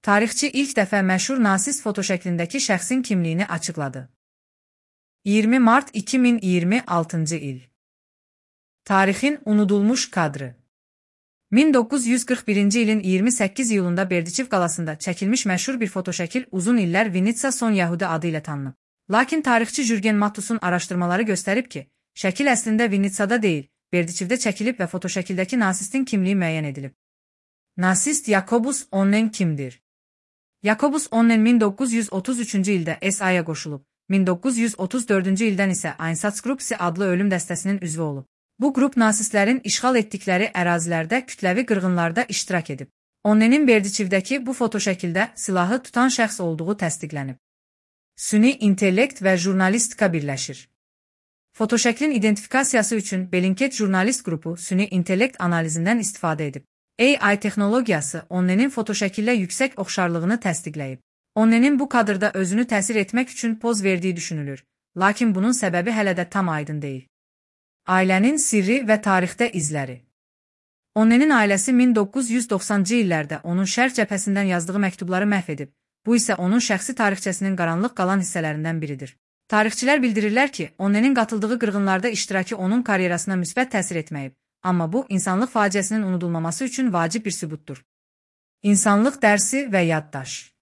Tarixçi ilk dəfə məşhur nasist fotoşəklindəki şəxsin kimliyini açıqladı. 20 mart 2026-cı il. Tarixin unudulmuş kadrı. 1941-ci ilin 28 iyulunda Berdiçev qalasında çəkilmiş məşhur bir fotoşəkil uzun illər Vinitsa Son Yahudi adı ilə tanınıb. Lakin tarixçi Jürgen Mattus'un araşdırmaları göstərib ki, şəkil əslində Vinitsada deyil, Berdiçevdə çəkilib və fotoşəkildəki nasistin kimliyi müəyyən edilib. Nasist Jakobus Onnen kimdir? Jakobus Onnen 1933-cü ildə SA-ya qoşulub, 1934-cü ildən isə Einsatzgruppe adlı ölüm dəstəsinin üzvü olub. Bu qrup nasistlərin işğal etdikləri ərazilərdə kütləvi qırğınlarda iştirak edib. Onnenin Berdiçevdəki bu fotoşəkildə silahı tutan şəxs olduğu təsdiqlənib. Süni intellekt və jurnalistika birləşir. Fotoşəklin identifikasiyası üçün Bellingcat jurnalist qrupu süni intellekt analizindən istifadə edib. AI texnologiyası Onnenin fotoşəkillə yüksək oxşarlığını təsdiqləyib. Onnenin bu kadrda özünü təsir etmək üçün poz verdiyi düşünülür, lakin bunun səbəbi hələ də tam aydın deyil. Ailənin sirri və tarixdə izləri. Onnenin ailəsi 1990-cı illərdə onun şərq cəbhəsindən yazdığı məktubları məhv edib. Bu isə onun şəxsi tarixçəsinin qaranlıq qalan hissələrindən biridir. Tarixçilər bildirirlər ki, Onnenin qatıldığı qırğınlarda iştirakı onun karyerasına müsbət təsir etməyib, amma bu, insanlıq faciəsinin unudulmaması üçün vacib bir sübutdur. İnsanlıq dərsi və yaddaş.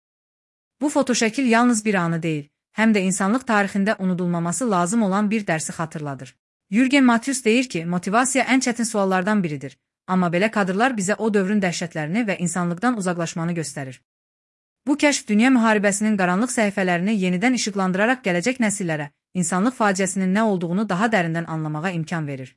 Bu fotoşəkil yalnız bir anı deyil, həm də insanlıq tarixində unudulmaması lazım olan bir dərsi xatırladır. Jürgen Mattus deyir ki, motivasiya ən çətin suallardan biridir, amma belə kadrlar bizə o dövrün dəhşətlərini və insanlıqdan uzaqlaşmanı göstərir. Bu kəşf dünya müharibəsinin qaranlıq səhifələrini yenidən işıqlandıraraq gələcək nəsillərə insanlıq faciəsinin nə olduğunu daha dərindən anlamağa imkan verir.